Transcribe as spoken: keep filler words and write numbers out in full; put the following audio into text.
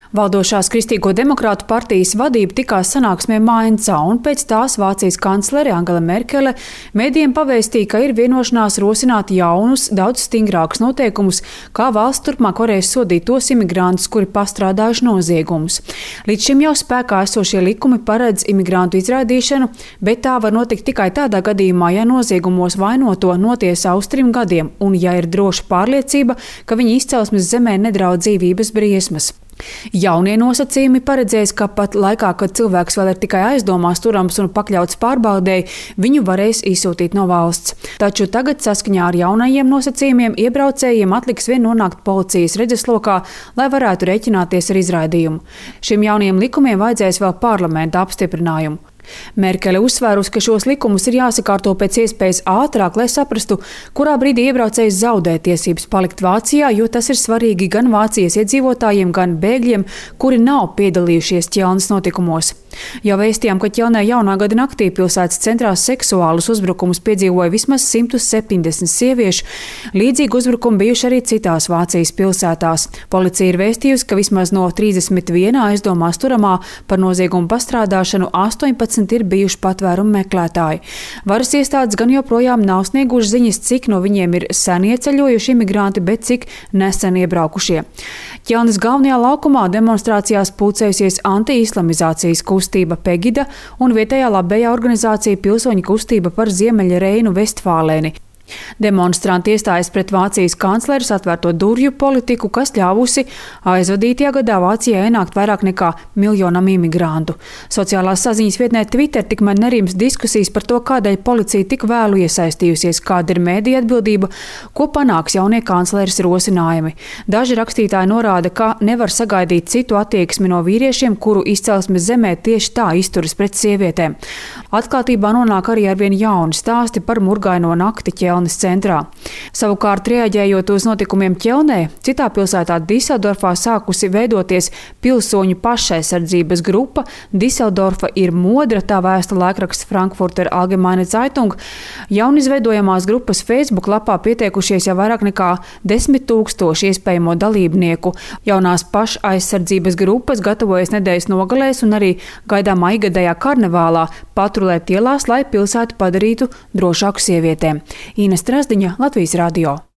Valdošās Kristīgo demokrātu partijas vadība tikās sanāksmē Maincā, un pēc tās Vācijas kanclere Angela Merkele medijiem pavēstīja, ka ir vienošanās rosināt jaunus, daudz stingrākus noteikumus, kā valsts turpmāk varēs sodīt tos imigrantus, kuri pastrādājuši noziegumus. Līdz šim jau spēkā esošie likumi paredz imigrantu izraidīšanu, bet tā var notikt tikai tādā gadījumā, ja noziegumos vainoto notiesā uz trim gadiem un ja ir droša pārliecība, ka viņa izcelsmes zemē nedraud dzīvības briesmas. Jaunie nosacījumi paredzēs, ka pat laikā, kad cilvēks vēl ir tikai aizdomās turams un pakļauts pārbaudēji, viņu varēs izsūtīt no valsts. Taču tagad saskaņā ar jaunajiem nosacījumiem iebraucējiem atliks vien nonākt policijas redzeslokā, lai varētu rēķināties ar izraidījumu. Šiem jaunajiem likumiem vajadzēs vēl parlamenta apstiprinājumu. Merkele uzsvērusi, ka šos likumus ir jāsakārto pēc iespējas ātrāk, lai saprastu, kurā brīdī iebraucējs zaudē tiesības palikt Vācijā, jo tas ir svarīgi gan Vācijas iedzīvotājiem, gan bēgļiem, kuri nav piedalījušies Ķelnes notikumos. Jau vēstījām, ka Ķelnē jaunā gada naktī pilsētas centrā seksuālus uzbrukumus piedzīvoja vismaz simt septiņdesmit sieviešu. Līdzīgi uzbrukumi bijuši arī citās Vācijas pilsētās. Policija ir vēstījusi, ka vismaz no trīsdesmit viena aizdomās turamā par noziegumu pastrādāšanu astoņpadsmit ir bijuši patvērumu meklētāji. Varas iestādes gan joprojām nav snieguši ziņas, cik no viņiem ir sen ieceļojuši imigranti, bet cik nesen iebraukušie. Ķelnes galvenajā laukumā demonstrācijās pulcējusies anti-islamizācijas kustība Pegida un vietējā labējā organizācija Pilsoņu kustība par Ziemeļa Reinu Vestfālēni. Demonstranti iestājas pret Vācijas kancleres atvērto durvju politiku, kas ļāvusi aizvadītajā gadā Vācijā ienākt vairāk nekā miljonam imigrantu. Sociālās saziņas vietnē Twitter tikmēr nerims diskusijas par to, kādēļ policija tik vēlu iesaistījusies, kāda ir mēdīja atbildība, ko panāks jaunie kancleres rosinājumi. Daži rakstītāji norāda, ka nevar sagaidīt citu attieksmi no vīriešiem, kuru izcelsmes zemē tieši tā izturas pret sievietēm. Atklātībā nonāk arī arvien jauni stāsti par murgaino nakti Ķelnes centrā. Savukārt, reaģējot uz notikumiem Ķelnē, citā pilsētā Diseldorfā sākusi veidoties pilsoņu pašaizsardzības grupa. Diseldorfa ir modra, tā vēsta laikraksts Frankfurter Allgemeine Zeitung. Jaunizveidojamās grupas Facebook lapā pieteikušies jau vairāk nekā desmit tūkstoši iespējamo dalībnieku. Jaunās pašaizsardzības grupas gatavojas nedēļas nogalēs un arī gaidāmā igadējā karnevālā patrulēt ielās, lai pilsētu padarītu drošāku sievietēm. Ines Trasdiņa, Latvijas radio.